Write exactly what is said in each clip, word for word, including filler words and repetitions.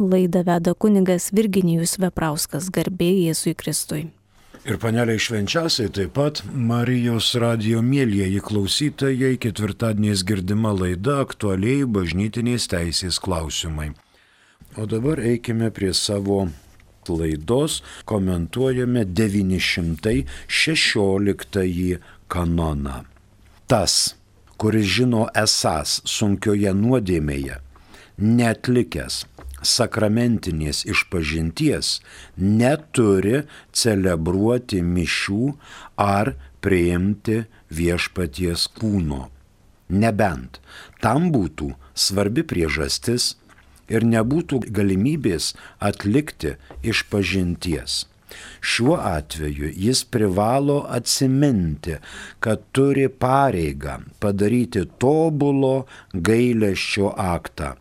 Laidą veda kunigas Virginijus Veprauskas, garbė Jėzui Kristui. Ir paneliai švenčiausiai taip pat Marijos radijo mielieji klausytojai, ketvirtadieniais girdima laida aktualiai bažnytinės teisės klausimai. O dabar eikime prie savo laidos, komentuojame devyni šimtai šešioliktąjį kanoną. Tas, kuris žino esąs sunkioje nuodėmėje, neatlikęs sakramentinės išpažinties, neturi celebruoti mišių ar priimti viešpaties kūno. Nebent tam būtų svarbi priežastis ir nebūtų galimybės atlikti išpažinties. Šiuo atveju jis privalo atsiminti, kad turi pareigą padaryti tobulo gailesčio aktą,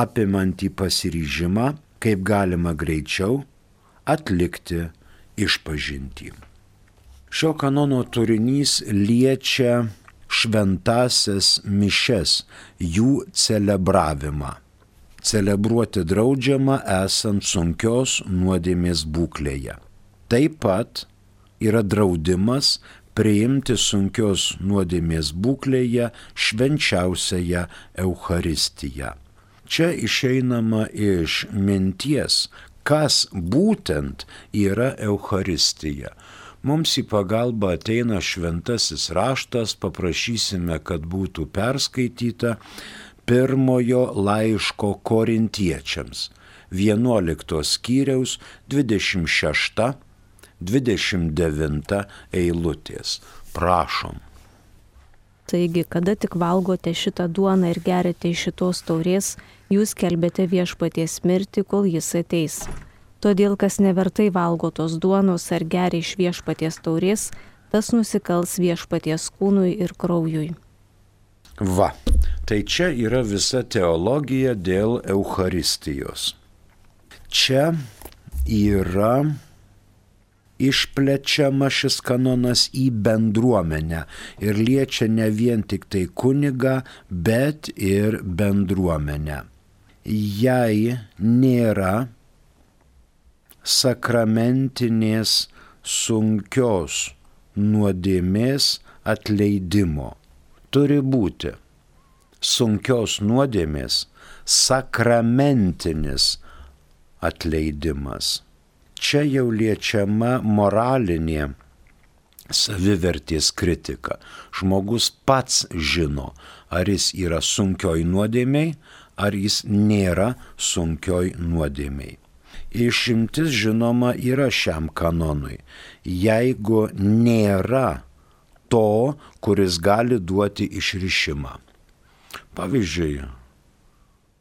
apimantį pasiryžimą, kaip galima greičiau atlikti išpažintį. Šio kanono turinys liečia šventąsias mišias, jų celebravimą. Celebruoti draudžiama esant sunkios nuodėmės būklėje. Taip pat yra draudimas priimti sunkios nuodėmės būklėje švenčiausiąją Eucharistiją. Čia išeinama iš minties, kas būtent yra Eucharistija. Mums į pagalbą ateina šventasis raštas, paprašysime, kad būtų perskaityta pirmojo laiško korintiečiams, vienuoliktos skyriaus dvidešimt šešta dvidešimt devinta eilutės. Prašom. Taigi, kada tik valgote šitą duoną ir geriate iš šitos taurės, jūs skelbiate viešpaties mirtį, kol jis ateis. Todėl, kas nevertai valgo tos duonos ar geria iš viešpaties taurės, tas nusikals viešpaties kūnui ir kraujui. Va, tai čia yra visa teologija dėl Eucharistijos. Čia yra išplečiama šis kanonas į bendruomenę ir liečia ne vien tik tai kunigą, bet ir bendruomenę. Jei nėra sakramentinės sunkios nuodėmės atleidimo, turi būti sunkios nuodėmės sakramentinis atleidimas. Čia jau liečiama moralinė savivertės kritika. Žmogus pats žino, ar jis yra sunkioj nuodėmėj, ar jis nėra sunkioj nuodėmėj. Išimtis žinoma yra šiam kanonui, jeigu nėra to, kuris gali duoti išrišimą. Pavyzdžiui,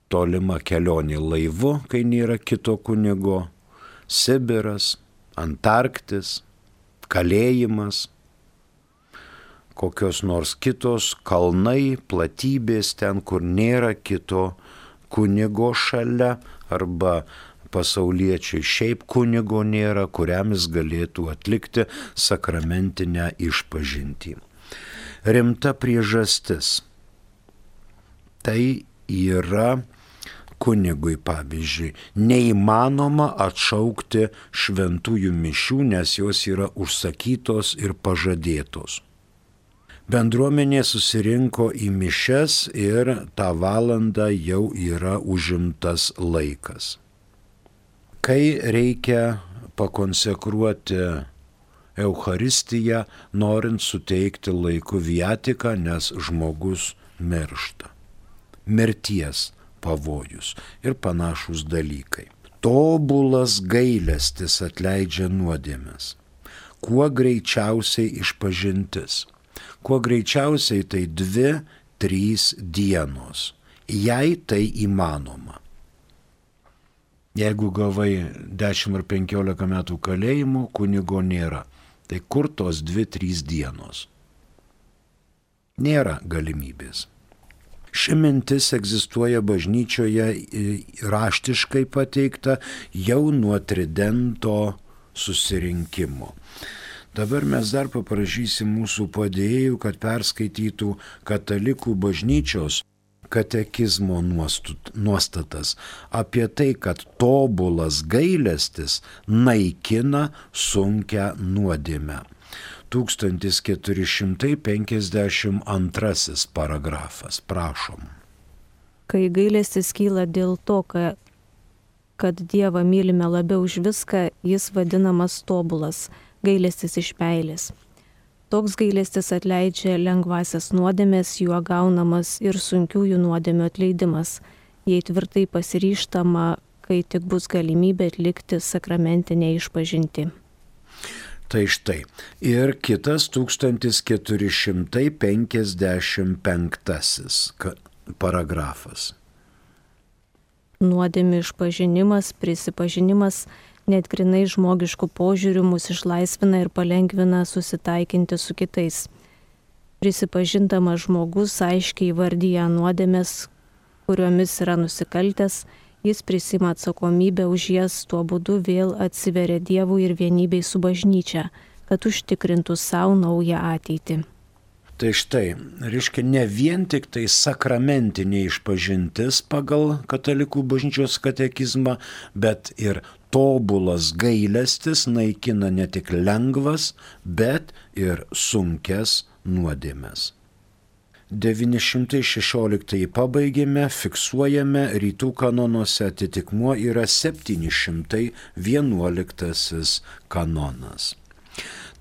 tolima kelionė laivu, kai nėra kito kunigo, Sibiras, Antarktis, kalėjimas, kokios nors kitos kalnai, platybės ten, kur nėra kito kunigo šalia, arba pasauliečiai šiaip kunigo nėra, kuriam jis galėtų atlikti sakramentinę išpažintį. Rimta priežastis. Tai yra kunigui, pavyzdžiui, neįmanoma atšaukti šventųjų mišių, nes jos yra užsakytos ir pažadėtos. Bendruomenė susirinko į mišias ir tą valandą jau yra užimtas laikas. Kai reikia pakonsekruoti Eucharistiją, norint suteikti laiku viatiką, nes žmogus miršta. Mirties pavojus ir panašūs dalykai. Tobulas gailestis atleidžia nuodėmes. Kuo greičiausiai išpažintis. Kuo greičiausiai tai dvi, trys dienos. Jei tai įmanoma. Jeigu gavai dešimt ar penkiolika metų kalėjimo, kunigo nėra. Tai kur tos dvi, trys dienos? Nėra galimybės. Ši mintis egzistuoja bažnyčioje raštiškai pateikta jau nuo Tridento susirinkimo. Dabar mes dar paprašysim mūsų padėjėjų, kad perskaitytų katalikų bažnyčios katekizmo nuostatas apie tai, kad tobulas gailestis naikina sunkią nuodėmę. tūkstantis keturi šimtai penkiasdešimt antrasis paragrafas. Prašom. Kai gailestis kyla dėl to, kad, kad Dievą mylime labiau už viską, jis vadinamas tobulas, gailestis iš meilės. Toks gailestis atleidžia lengvasias nuodėmės, juo gaunamas ir sunkiųjų nuodėmių atleidimas, jei tvirtai pasiryžtama, kai tik bus galimybė atlikti sakramentinę išpažintį. Tai štai. Ir kitas tūkstantis keturi šimtai penkiasdešimt penktasis paragrafas. Nuodėmių išpažinimas, prisipažinimas net grinai žmogiškų požiūrių mus išlaisvina ir palengvina susitaikinti su kitais. Prisipažindamas žmogus aiškiai įvardyja nuodėmės, kuriomis yra nusikaltęs, jis prisima atsakomybę už jas, tuo būdu vėl atsiveria Dievui ir vienybei su bažnyčia, kad užtikrintų savo naują ateitį. Tai štai, reiškia, ne vien tik tai sakramentinė išpažintis pagal katalikų bažnyčios katekizmą, bet ir tobulas gailestis naikina ne tik lengvas, bet ir sunkes nuodėmes. devyni šimtai šešioliktąjį pabaigėme, fiksuojame, rytų kanonuose atitikmuo yra septyni šimtai vienuoliktasis kanonas.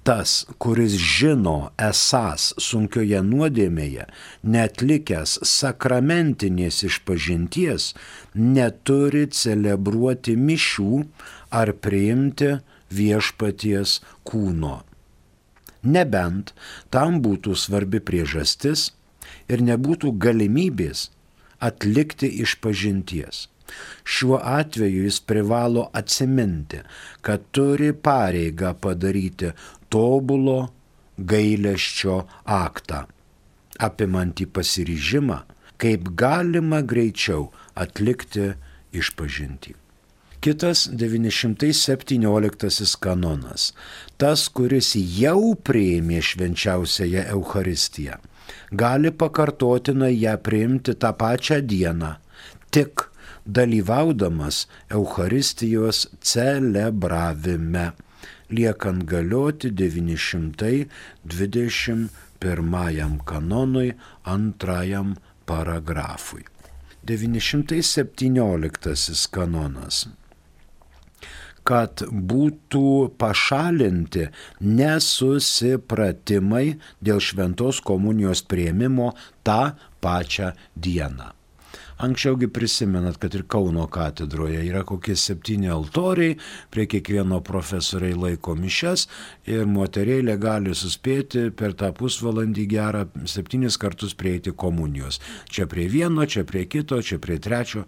Tas, kuris žino esąs sunkioje nuodėmėje, netlikęs sakramentinės išpažinties, neturi celebruoti mišių ar priimti viešpaties kūno. Nebent tam būtų svarbi priežastis ir nebūtų galimybės atlikti išpažinties. Šiuo atveju jis privalo atsiminti, kad turi pareigą padaryti tobulo gailesčio aktą, apimantį pasiryžimą, kaip galima greičiau atlikti išpažintį. Kitas devyni šimtai septynioliktasis kanonas. Tas, kuris jau priėmė švenčiausiąją Eucharistiją, gali pakartotinai ją priimti tą pačią dieną, tik dalyvaudamas Eucharistijos celebravime, liekant galioti devyni šimtai dvidešimt pirmajam kanonui antrajam paragrafui. devyni šimtai septynioliktasis kanonas. Kad būtų pašalinti nesusipratimai dėl šventos komunijos priėmimo tą pačią dieną. Anksčiaugi prisimenat, kad ir Kauno katedroje yra kokie septyni altoriai, prie kiekvieno profesoriai laiko mišias ir moterėlė gali suspėti per tą pusvalandį gerą septynis kartus prieiti komunijos. Čia prie vieno, čia prie kito, čia prie trečio,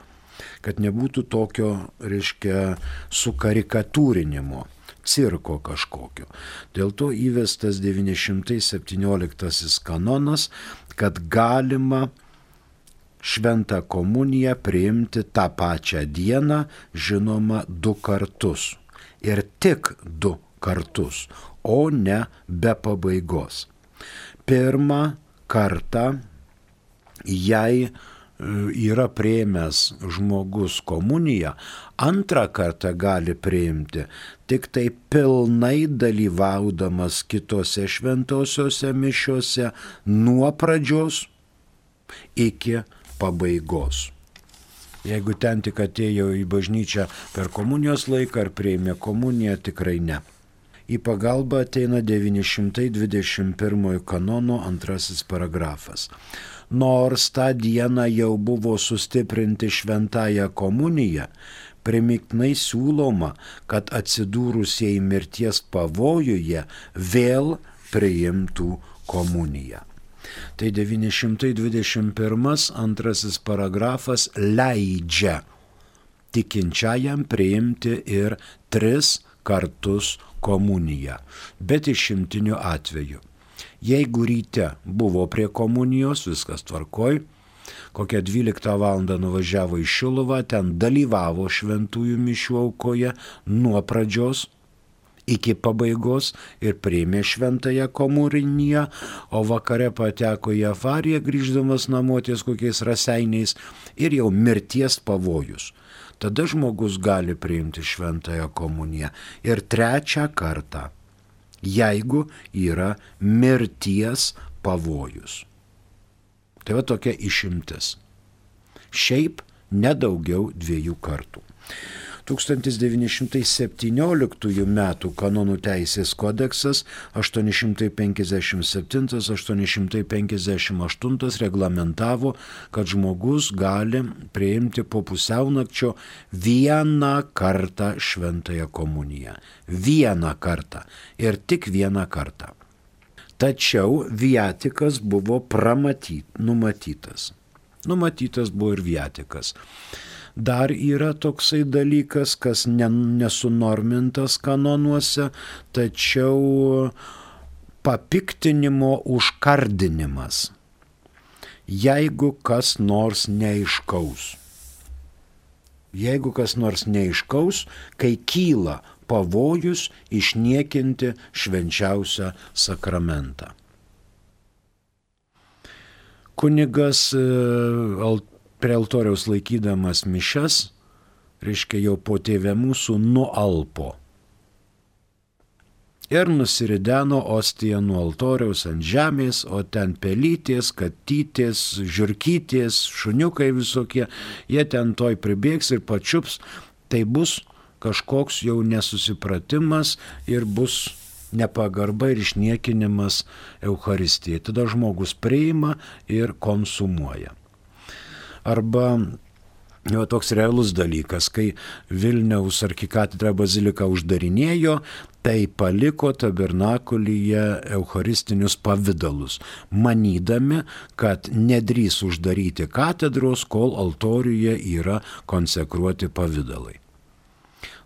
kad nebūtų tokio, reiškia, sukarikatūrinimo, cirko kažkokio. Dėl to įvestas devyni šimtai septynioliktasis kanonas, kad galima šventą komuniją priimti tą pačią dieną, žinoma, du kartus. Ir tik du kartus, o ne be pabaigos. Pirmą kartą, jei yra priėmęs žmogus komuniją, antrą kartą gali priimti tik tai pilnai dalyvaudamas kitose šventosiose mišiose nuo pradžios iki pabaigos. Jeigu ten tik atėjo į bažnyčią per komunijos laiką ar priėmė komuniją, tikrai ne. Į pagalbą ateina devyni šimtai dvidešimt pirmojo kanono antrasis paragrafas. Nors tą dieną jau buvo sustiprinti šventąją komuniją, primiktinai siūloma, kad atsidūrusieji mirties pavojuje vėl priimtų komuniją. Tai devyni šimtai dvidešimt pirmas antrasis paragrafas leidžia tikinčiajam priimti ir tris kartus komuniją, bet išimtiniu atveju. Jeigu ryte buvo prie komunijos, viskas tvarkoj, kokią dvyliktą valandą nuvažiavo į Šiluvą, ten dalyvavo šventųjų mišių aukoje nuo pradžios iki pabaigos ir priėmė šventąją komuniją, o vakare pateko į avariją, grįždamas namo ties kokiais raseiniais ir jau mirties pavojus. Tada žmogus gali priimti šventąją komuniją. Ir trečią kartą, jeigu yra mirties pavojus. Tai va tokia išimtis. Šiaip nedaugiau dviejų kartų. tūkstantis devyni šimtai septynioliktųjų metų kanonų teisės kodeksas aštuoni šimtai penkiasdešimt septyni aštuoni šimtai penkiasdešimt aštuoni reglamentavo, kad žmogus gali priimti po pusiaunakčio vieną kartą šventąją komuniją. Vieną kartą. Ir tik vieną kartą. Tačiau viatikas buvo pramatyt, numatytas. Numatytas buvo ir viatikas. Dar yra toksai dalykas, kas nesunormintas kanonuose, tačiau papiktinimo užkardinimas. Jeigu kas nors neaiškaus. Jeigu kas nors neaiškaus, kai kyla pavojus išniekinti švenčiausią sakramentą. Kunigas prie altoriaus laikydamas mišias, reiškia jau po tėve mūsų nualpo. Ir nusirideno ostiją nuo altoriaus ant žemės, o ten pelytės, katytės, žiurkytės, šuniukai visokie, jie ten toj pribėgs ir pačiups, tai bus kažkoks jau nesusipratimas ir bus nepagarba ir išniekinimas Eucharistijai. Tada žmogus priima ir konsumuoja. Arba jau toks realus dalykas, kai Vilniaus arkikatedra bazilika uždarinėjo, tai paliko tabernakulyje eucharistinius pavidalus, manydami, kad nedrįs uždaryti katedros, kol altoriuje yra konsekruoti pavidalai.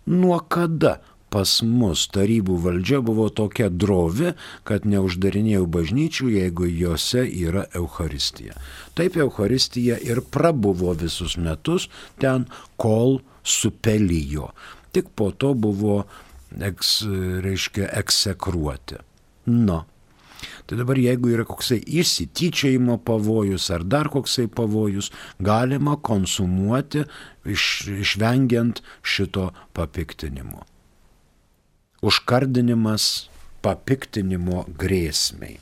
Nuo kada pas mus tarybų valdžia buvo tokia drovi, kad neuždarinėjau bažnyčių, jeigu jose yra Eucharistija? Taip Eucharistija ir prabuvo visus metus ten, kol supelijo. Tik po to buvo, eks, reiškia, eksekruoti. Nu. Tai dabar jeigu yra koksai išsityčiojimo pavojus ar dar koksai pavojus, galima konsumuoti iš, išvengiant šito papiktinimo. Užkardinimas papiktinimo grėsmei.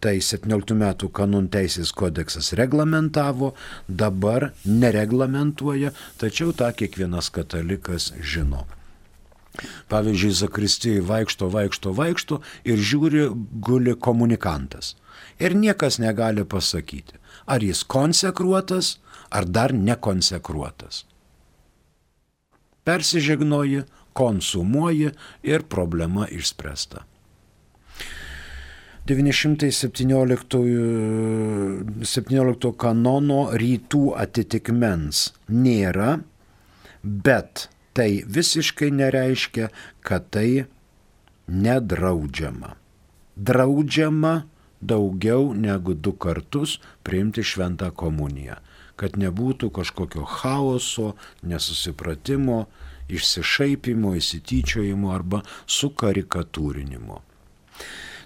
Tai septynioliktų metų kanonų teisės kodeksas reglamentavo, dabar nereglamentuoja, tačiau tą kiekvienas katalikas žino. Pavyzdžiui, zakristijoje vaikšto, vaikšto, vaikšto ir žiūri, guli komunikantas. Ir niekas negali pasakyti, ar jis konsekruotas, ar dar nekonsekruotas. Persižegnoji, konsumuoji ir problema išspręsta. devyni šimtai septyniolikto kanono rytų atitikmens nėra, bet tai visiškai nereiškia, kad tai nedraudžiama. Draudžiama daugiau negu du kartus priimti šventą komuniją, kad nebūtų kažkokio chaoso, nesusipratimo, išsišaipimo, įsityčiojimo arba sukarikatūrinimo.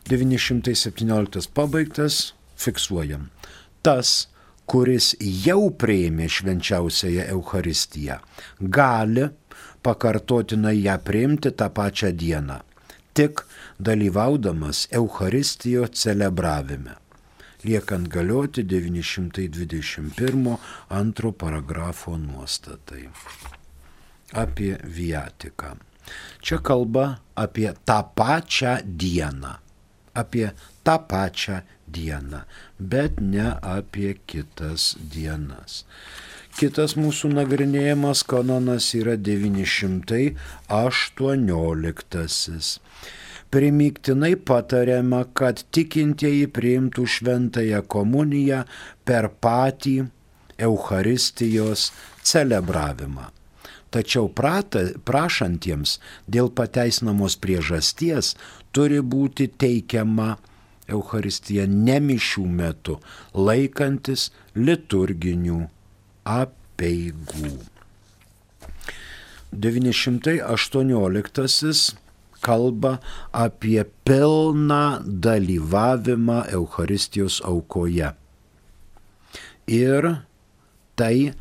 devyni šimtai septynioliktas pabaigtas, fiksuojam. Tas, kuris jau priėmė švenčiausiąją Eucharistiją, gali pakartotinai ją priimti tą pačią dieną, tik dalyvaudamas Eucharistijo celebravime, liekant galioti devyni šimtai dvidešimt pirmo antro paragrafo nuostatai apie viatiką. Čia kalba apie tą pačią dieną, apie tą pačią dieną, bet ne apie kitas dienas. Kitas mūsų nagrinėjimas kanonas yra devyni šimtai aštuonioliktasis. Primygtinai patariama, kad tikintieji priimtų šventąją komuniją per patį Eucharistijos celebravimą. Tačiau prata, prašantiems dėl pateisinamos priežasties turi būti teikiama Eucharistija ne mišių metu, laikantis liturginių apeigų. devyni šimtai aštuonioliktasis kalba apie pilną dalyvavimą Eucharistijos aukoje. Ir tai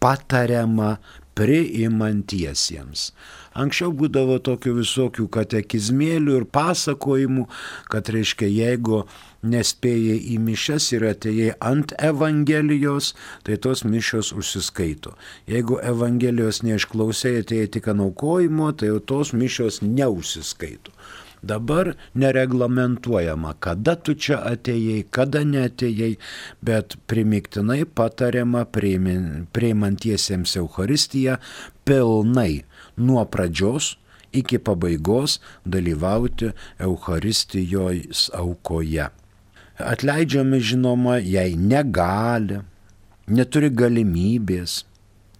patariama priimantiesiems. Anksčiau būdavo tokių visokių katekizmėlių ir pasakojimų, kad reiškia, jeigu nespėjai į mišias ir atėjai ant Evangelijos, tai tos mišios užsiskaito. Jeigu Evangelijos neišklausėjai, atėjai tik ant aukojimo, tai jau tos mišios neužsiskaito. Dabar nereglamentuojama, kada tu čia atėjai, kada neatėjai, bet primiktinai patariama priimantiesiems Eucharistiją pilnai nuo pradžios iki pabaigos dalyvauti Eucharistijos aukoje. Atleidžiami, žinoma, jei negali, neturi galimybės,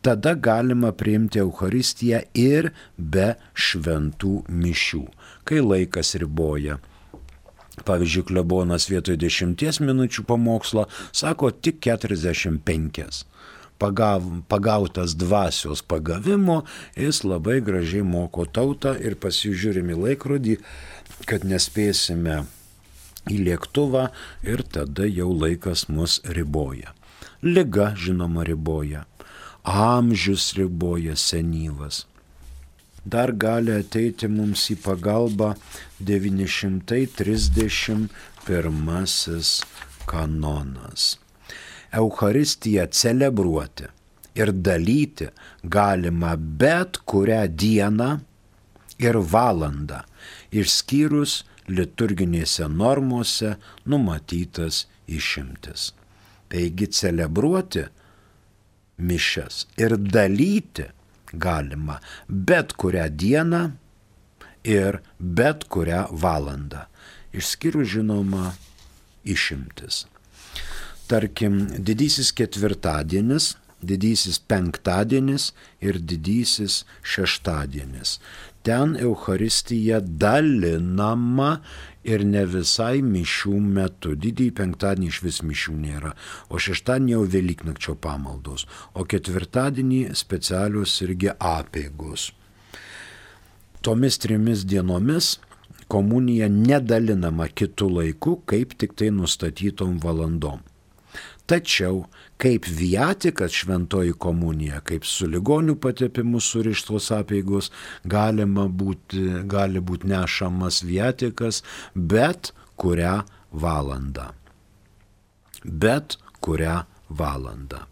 tada galima priimti Eucharistiją ir be šventų mišių, kai laikas riboja. Pavyzdžiui, klebonas vietoj dešimties minučių pamokslo sako tik keturiasdešimt penkias. Pagav, pagautas dvasios pagavimo, jis labai gražiai moko tautą ir pasižiūrime į laikrodį, kad nespėsime į lėktuvą ir tada jau laikas mus riboja. Liga, žinoma, riboja. Amžius riboja, senyvas. Dar gali ateiti mums į pagalbą devyni šimtai trisdešimt pirmasis kanonas. Eucharistiją celebruoti ir dalyti galima bet kurią dieną ir valandą, išskyrus liturginėse normose numatytas išimtis. Taigi celebruoti mišias ir dalyti galima bet kurią dieną ir bet kurią valandą, išskyrus, žinoma, išimtis. Tarkim, didysis ketvirtadienis, didysis penktadienis ir didysis šeštadienis. Ten Eucharistija dalinama ir ne visai mišių metu. Didįjį penktadienį iš vis mišių nėra, o šeštadienį jau Velyknakčio pamaldos, o ketvirtadienį specialios irgi apeigos. Tomis trimis dienomis komunija nedalinama kitų laikų, kaip tik tai nustatytom valandom. Tačiau kaip viatikas šventoji komunija, kaip su ligonių patepimu surištos apeigos, galima būti, gali būti nešamas viatikas bet kurią valandą. Bet kurią valandą.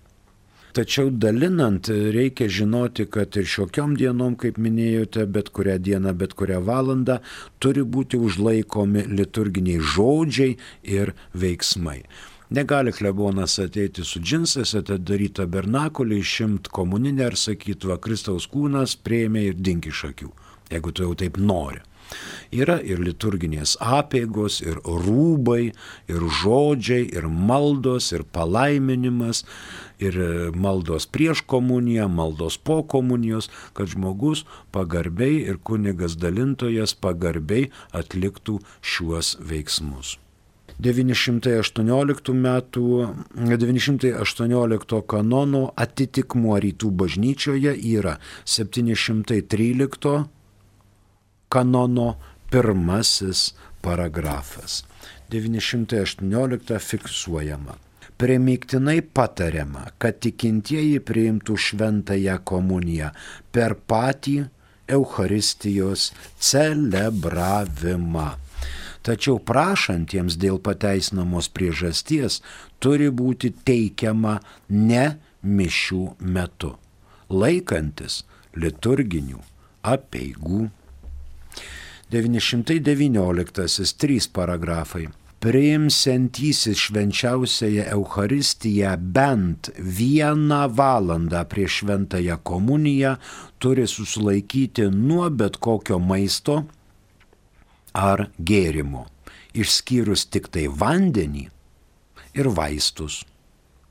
Tačiau dalinant reikia žinoti, kad ir šiokiom dienom, kaip minėjote, bet kurią dieną, bet kurią valandą turi būti užlaikomi liturginiai žodžiai ir veiksmai. Negali klebonas ateiti su džinsais, atidaryti tabernakulį, išimt komuninę ir sakyti, va, Kristaus kūnas priėmė ir dink iš akių, jeigu tu jau taip nori. Yra ir liturginės apeigos, ir rūbai, ir žodžiai, ir maldos, ir palaiminimas, ir maldos prieš komuniją, maldos po komunijos, kad žmogus pagarbiai ir kunigas dalintojas pagarbiai atliktų šiuos veiksmus. devyni šimtai aštuonioliktų metų, devyni šimtai aštuoniolikto kanono atitikmuo rytų bažnyčioje yra septyni šimtai trylikto kanono pirmasis paragrafas. devyni šimtai aštuonioliktą fiksuojama. Primygtinai patariama, kad tikintieji priimtų šventąją komuniją per patį Eucharistijos celebravimą. Tačiau prašantiems dėl pateisinamos priežasties turi būti teikiama ne mišių metu, laikantis liturginių apeigų. devyni šimtai devynioliktasis trys paragrafai. Priimsiantysis švenčiausiąją Eucharistiją bent vieną valandą prieš šventąją komuniją turi susilaikyti nuo bet kokio maisto ar gėrimo, išskyrus tik tai vandenį ir vaistus.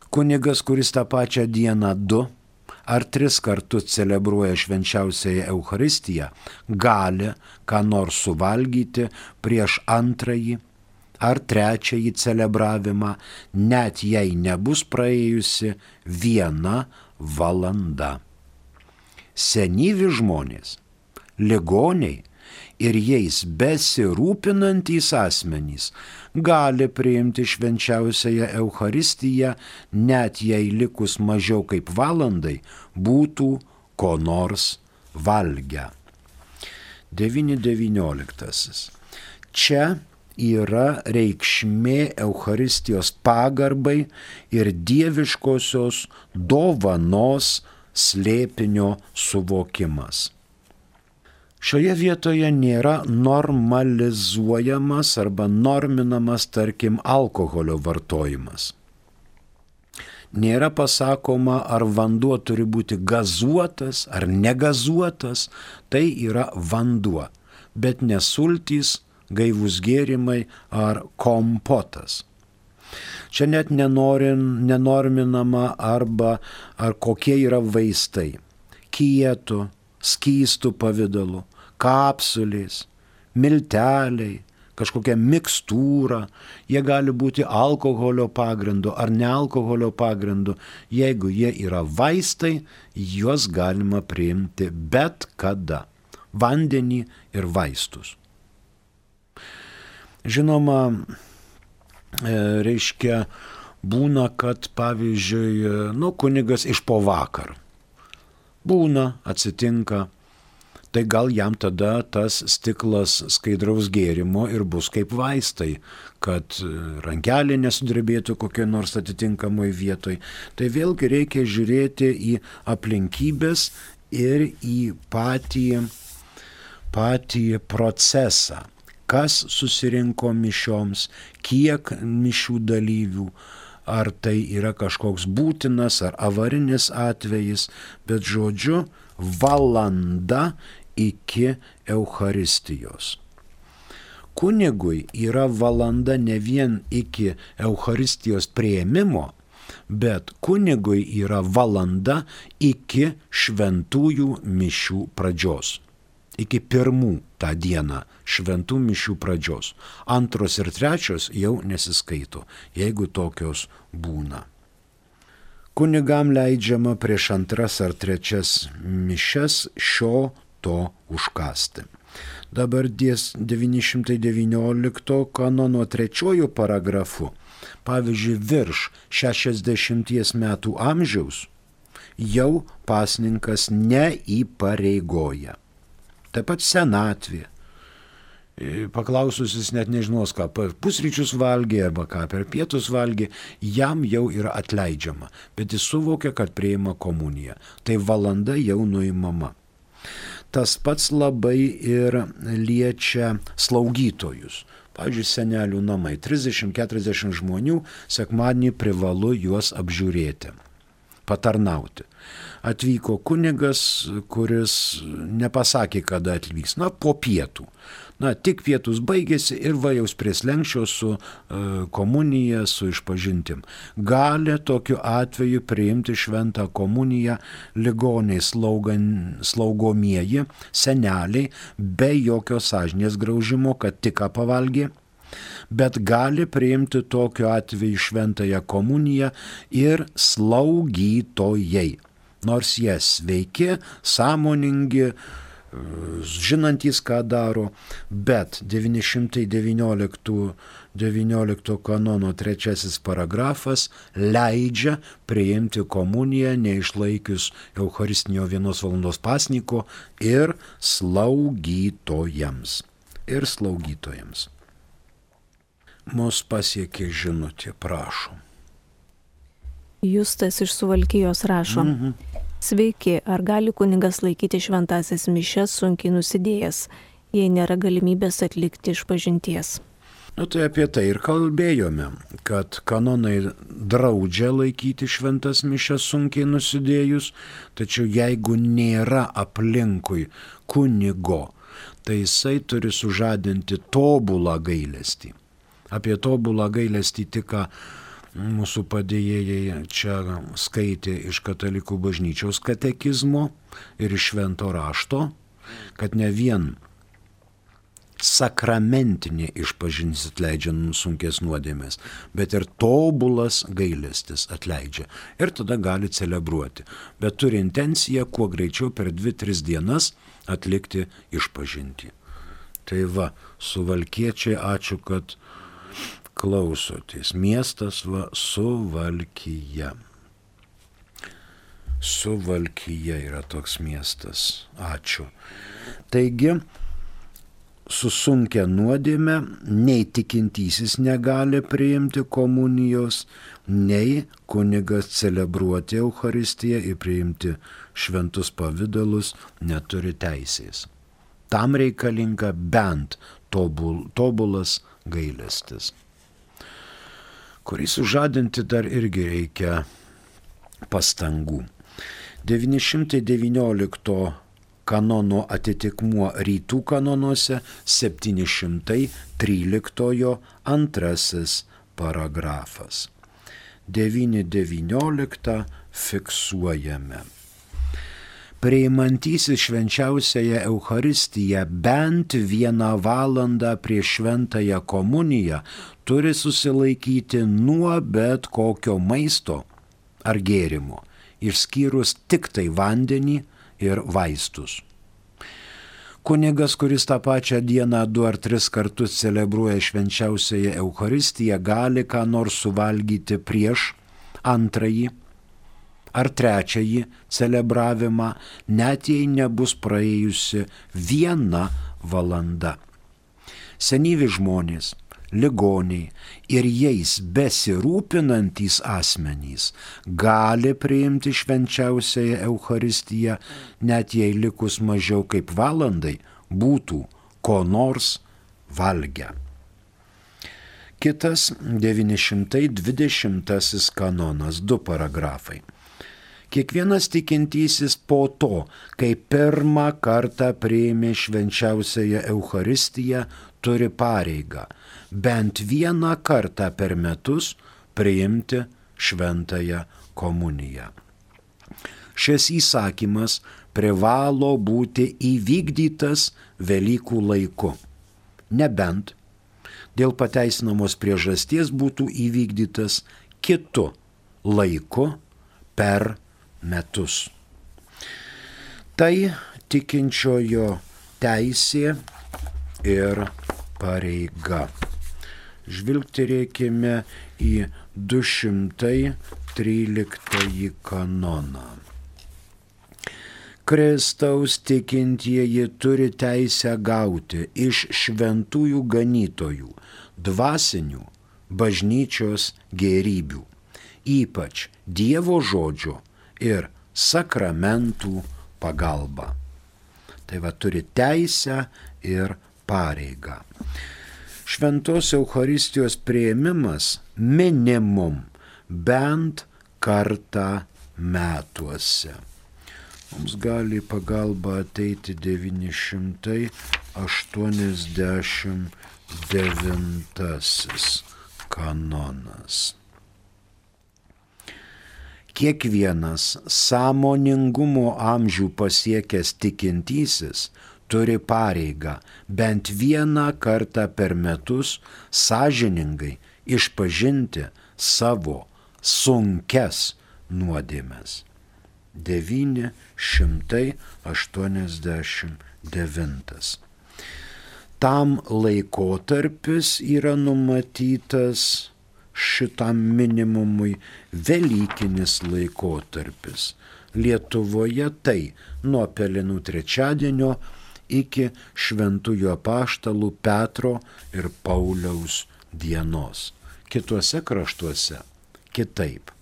Kunigas, kuris tą pačią dieną du ar tris kartus celebruoja švenčiausiąją Eucharistiją, gali ką nors suvalgyti prieš antrąjį ar trečiąjį celebravimą, net jei nebus praėjusi viena valanda. Senyvi žmonės, ligoniai ir jais besirūpinantys asmenys gali priimti švenčiausiąją Eucharistiją, net jei likus mažiau kaip valandai būtų ko nors valgę. devyni devynioliktasis. Čia yra reikšmė Eucharistijos pagarbai ir dieviškosios dovanos slėpinio suvokimas. Šioje vietoje nėra normalizuojamas arba norminamas, tarkim, alkoholio vartojimas. Nėra pasakoma, ar vanduo turi būti gazuotas ar negazuotas, tai yra vanduo, bet ne sultys, gaivūs gėrimai ar kompotas. Čia net nenorin, nenorminama arba ar kokie yra vaistai, kietų, skystų pavidalu, kapsulės, milteliai, kažkokia mikstūra, jie gali būti alkoholio pagrindu ar nealkoholio pagrindu. Jeigu jie yra vaistai, juos galima priimti bet kada. Vandenį ir vaistus. Žinoma, reiškia, būna, kad pavyzdžiui, nu, kunigas iš po vakar. Būna, atsitinka. Tai gal jam tada tas stiklas skaidraus gėrimo ir bus kaip vaistai, kad rankelė nesudrebėtų kokioj nors atitinkamoj vietoj. Tai vėlgi reikia žiūrėti į aplinkybės ir į patį, patį procesą. Kas susirinko mišioms, kiek mišių dalyvių, ar tai yra kažkoks būtinas ar avarinis atvejis, bet žodžiu, valanda iki Eucharistijos. Kunigui yra valanda ne vien iki Eucharistijos priėmimo, bet kunigui yra valanda iki šventųjų mišių pradžios. Iki pirmų tą dieną šventų mišių pradžios. Antros ir trečios jau nesiskaito, jeigu tokios būna. Kunigam leidžiama prieš antras ar trečias mišias šio to užkasti. Dabar devyni šimtai devyniolikto kanono trečiojų paragrafu, pavyzdžiui, virš šešiasdešimties metų amžiaus, jau pasninkas neįpareigoja. Taip pat senatvė. Paklausus jis net nežinos, ką pusryčius valgė arba ką per pietus valgė, jam jau yra atleidžiama, bet jis suvokia, kad priima komuniją. Tai valanda jau nuimama. Tas pats labai ir liečia slaugytojus. Pavyzdžiui, senelių namai, trisdešimt keturiasdešimt žmonių, sekmadienį privalu juos apžiūrėti, patarnauti. Atvyko kunigas, kuris nepasakė, kada atvyks, na, po pietų. Na, tik pietus baigėsi ir va jaus prie slenksčio su e, komunija, su išpažintim. Gali tokiu atveju priimti šventą komuniją ligoniai slaugan, slaugomieji, seneliai, be jokio sąžinės graužimo, kad tik ką pavalgė. Bet gali priimti tokiu atveju šventąją komuniją ir slaugytojai. Nors jie sveiki, sąmoningi, žinantys, ką daro, bet devyni šimtai devyniolikto kanono trečiasis paragrafas leidžia priimti komuniją neišlaikius Eucharistinio vienos valandos pasniko ir slaugytojams. Ir slaugytojams. Mus pasiekė žinutė, prašom. Justas iš Suvalkijos rašo. Mhm. Sveiki, ar gali kunigas laikyti šventąsias mišias sunkiai nusidėjęs, jei nėra galimybės atlikti išpažinties? Nu tai apie tai ir kalbėjome, kad kanonai draudžia laikyti šventas mišias sunkiai nusidėjus, tačiau jeigu nėra aplinkui kunigo, tai jisai turi sužadinti tobulą gailestį. Apie tobulą gailestį tik mūsų padėjėjai čia skaitė iš katalikų bažnyčios katekizmo ir iš švento rašto, kad ne vien sakramentinė išpažintis atleidžia sunkės nuodėmės, bet ir tobulas gailestis atleidžia. Ir tada gali celebruoti. Bet turi intenciją kuo greičiau per dvi tris dienas atlikti išpažintį. Tai va, Suvalkiečiai, ačiū, kad klausotės. Miestas va, Suvalkija. Suvalkija yra toks miestas. Ačiū. Taigi, susunkę nuodėmę, nei tikintysis negali priimti komunijos, nei kunigas celebruoti Eucharistiją ir priimti šventus pavidalus neturi teisės. Tam reikalinga bent tobul, tobulas gailestis, kurį sužadinti dar irgi reikia pastangų. devyni šimtai devyniolikto kanono atitikmuo rytų kanonuose septyni šimtai tryliktojo antrasis paragrafas. devyni devynioliktą fiksuojame. Priimantysis švenčiausiąją Eucharistiją bent vieną valandą prieš šventąją komuniją turi susilaikyti nuo bet kokio maisto ar gėrimo, išskyrus tik tai vandenį ir vaistus. Kunigas, kuris tą pačią dieną du ar tris kartus celebruoja švenčiausiąją Eucharistiją, gali ką nors suvalgyti prieš antrąjį ar trečiąjį celebravimą, net jei nebus praėjusi viena valanda. Senyvi žmonės, ligoniai ir jais besirūpinantys asmenys gali priimti švenčiausiąją Eucharistiją, net jei likus mažiau kaip valandai būtų ko nors valgę. Kitas devyni šimtai dvidešimtasis kanonas, du paragrafai. Kiekvienas tikintysis po to, kai pirmą kartą priėmė švenčiausiąją Eucharistiją, turi pareigą bent vieną kartą per metus priimti šventąją komuniją. Šis įsakymas privalo būti įvykdytas Velykų laiku, nebent dėl pateisinamos priežasties būtų įvykdytas kitu laiku per metus. Tai tikinčiojo teisė ir pareiga. Žvilgterėkime į du šimtai tryliktąjį kanoną. Kristaus tikintieji turi teisę gauti iš šventųjų ganytojų dvasinių bažnyčios gėrybių, ypač Dievo žodžio ir sakramentų pagalba. Tai va, turi teisę ir pareigą. Šventos Eucharistijos priėmimas minimum bent kartą metuose. Mums gali pagalba ateiti devyni šimtai aštuoniasdešimt devintasis kanonas. Kiekvienas sąmoningumo amžių pasiekęs tikintysis turi pareigą bent vieną kartą per metus sąžiningai išpažinti savo sunkes nuodėmes. devyni šimtai aštuoniasdešimt devintas. Tam laikotarpis yra numatytas šitam minimumui Velykinis laikotarpis. Lietuvoje tai nuo Pelenų trečiadienio iki šventųjų apaštalų Petro ir Pauliaus dienos. Kituose kraštuose kitaip.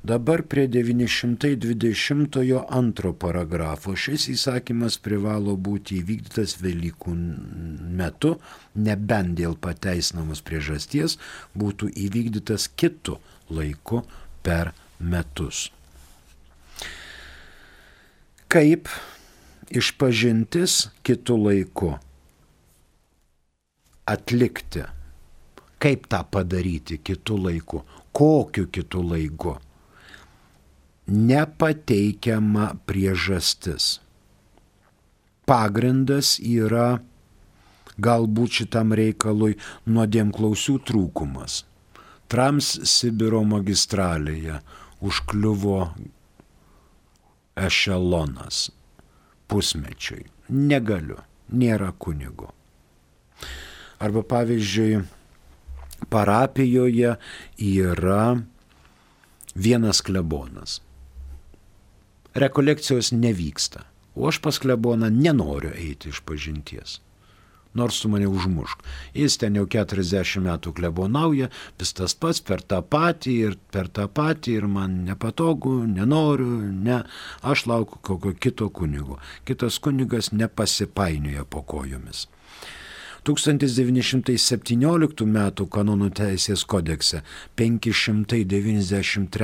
Dabar prie devyni šimtai dvidešimtojo antro paragrafo šis įsakymas privalo būti įvykdytas Velykų metu, nebent dėl pateisinamos priežasties būtų įvykdytas kitu laiku per metus. Kaip išpažintis kitu laiku atlikti? Kaip tą padaryti kitu laiku? Kokiu kitu laiku? Nepateikiama priežastis. Pagrindas yra galbūt šitam reikalui nuodėmklausių trūkumas. Transsibiro magistralėje užkliuvo ešelonas pusmečiui. Negaliu, nėra kunigo. Arba pavyzdžiui, parapijoje yra vienas klebonas. Rekolekcijos nevyksta, o aš pas kleboną nenoriu eiti iš pažinties. Nors tu mane užmušk. Jis ten jau keturiasdešimt metų klebonauja, vis tas pats per tą patį ir per tą patį ir man nepatogu, nenoriu, ne. Aš laukiu kokio kito kunigo. Kitas kunigas nepasipainioja po kojomis. tūkstantis devyni šimtai septynioliktų metų kanonų teisės kodekse penki šimtai devyniasdešimt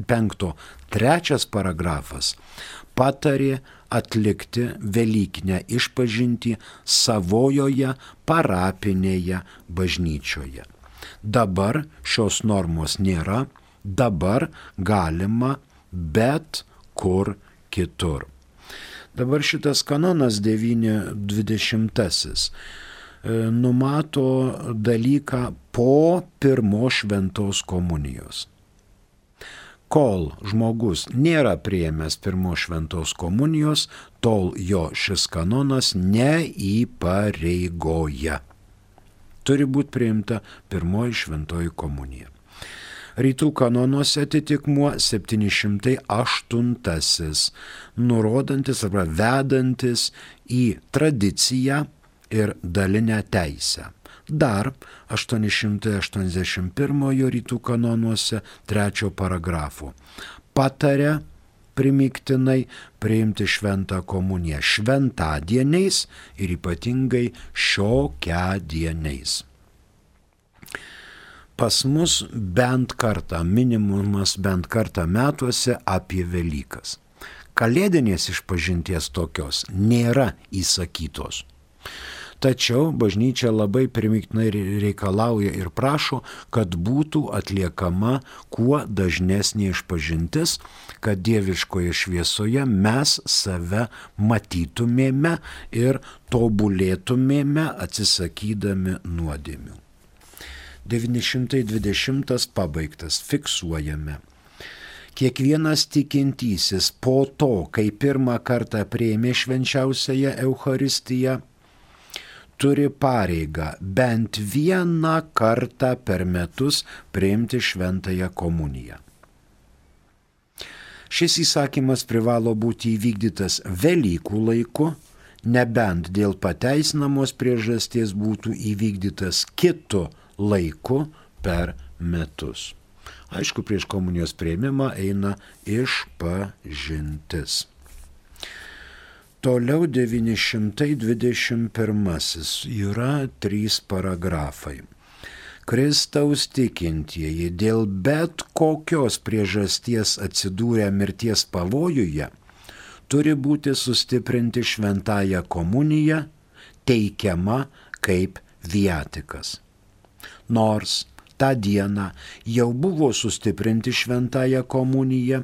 penkto trečias paragrafas patarė atlikti velykinę išpažintį savojoje parapinėje bažnyčioje. Dabar šios normos nėra, dabar galima bet kur kitur. Dabar šitas kanonas devyni dvidešimtasis numato dalyką po pirmos šventos komunijos. Kol žmogus nėra priėmęs pirmos šventos komunijos, tol jo šis kanonas neįpareigoja. Turi būti priimta pirmoji šventoji komunija. Rytų kanonuose atitikmuo septyni šimtai aštuntasis, nurodantis arba vedantis į tradiciją ir dalinę teisę. Dar aštuoni šimtai aštuoniasdešimt pirmojo rytų kanonuose trečio paragrafo patarė primygtinai priimti šventą komuniją šventadieniais ir ypatingai šiokiadieniais. Pas mus bent kartą, minimumas bent kartą metuose apie Velykas. Kalėdinės išpažinties tokios nėra įsakytos. Tačiau bažnyčia labai primygtinai reikalauja ir prašo, kad būtų atliekama kuo dažnesnė išpažintis, kad dieviškoje šviesoje mes save matytumėme ir tobulėtumėme atsisakydami nuodėmių. devyni šimtai dvidešimtas pabaigtas, fiksuojame. Kiekvienas tikintysis po to, kai pirmą kartą priėmė švenčiausiąją Eucharistiją, turi pareigą bent vieną kartą per metus priimti šventąją komuniją. Šis įsakymas privalo būti įvykdytas Velykų laiku, nebent dėl pateisinamos priežasties būtų įvykdytas kitu laiku per metus. Aišku, prieš komunijos priėmimą eina išpažintis. Toliau devyni šimtai dvidešimt pirmasis yra trys paragrafai. Kristaus tikintieji dėl bet kokios priežasties atsidūrę mirties pavojuje turi būti sustiprinti šventąją komuniją, teikiama kaip viatikas. Nors tą dieną jau buvo sustiprinti šventąją komuniją,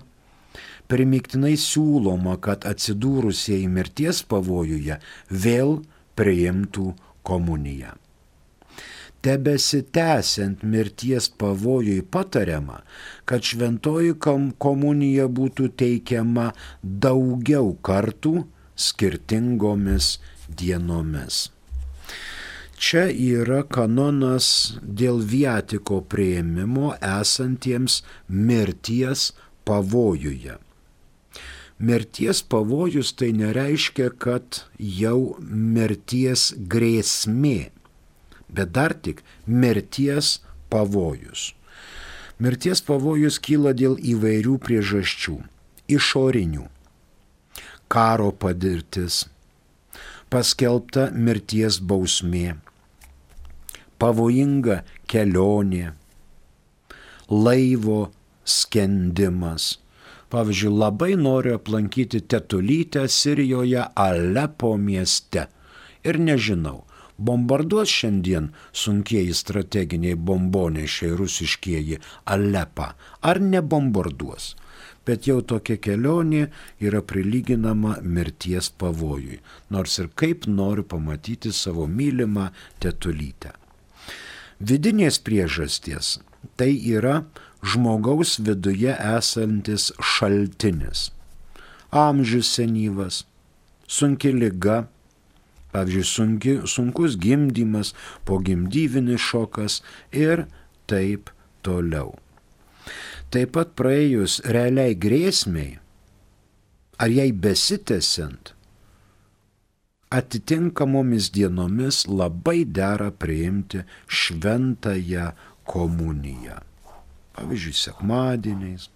primygtinai siūloma, kad atsidūrusieji mirties pavojuje vėl priimtų komuniją. Tebesitęsiant mirties pavojui patariama, kad šventoji komunija būtų teikiama daugiau kartų skirtingomis dienomis. Čia yra kanonas dėl viatiko priėmimo esantiems mirties pavojuje. Mirties pavojus tai nereiškia, kad jau mirties grėsmė, bet dar tik mirties pavojus. Mirties pavojus kyla dėl įvairių priežasčių. Išorinių. Karo patirtis, paskelbta mirties bausmė, pavojinga kelionė, laivo skendimas. Pavyzdžiui, labai noriu aplankyti tetulytę Sirijoje Alepo mieste. Ir nežinau, bombarduos šiandien sunkieji strateginiai bombonešiai rusiškieji Alepą, ar nebombarduos. Bet jau tokia kelionė yra prilyginama mirties pavojui, nors ir kaip noriu pamatyti savo mylimą tetulytę. Vidinės priežasties tai yra žmogaus viduje esantis šaltinis. Amžius senyvas, sunki liga, Pavyzdžiui, sunki, sunkus gimdymas, pogimdyvinis šokas ir taip toliau. Taip pat praėjus realiai grėsmiai, ar jai besitęsiant, atitinkamomis dienomis labai dera priimti šventąją komuniją. Pavyzdžiui, sekmadieniais.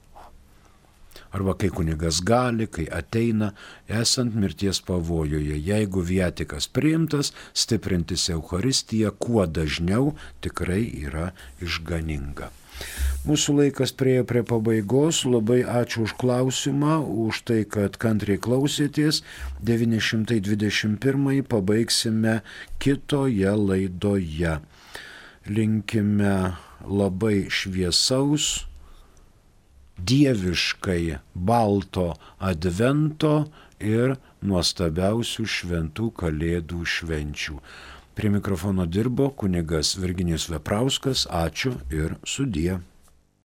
Arba kai kunigas gali, kai ateina, esant mirties pavojuje. Jeigu viatikas priimtas, stiprintis Eucharistiją kuo dažniau tikrai yra išganinga. Mūsų laikas priejo prie pabaigos. Labai ačiū už klausimą, už tai, kad kantriai klausėtės. devyni šimtai dvidešimt pirmąjį pabaigsime kitoje laidoje. Linkime labai šviesaus, dieviškai balto advento ir nuostabiausių šventų kalėdų švenčių. Prie mikrofono dirbo kunigas Virginijus Veprauskas. Ačiū ir sudie.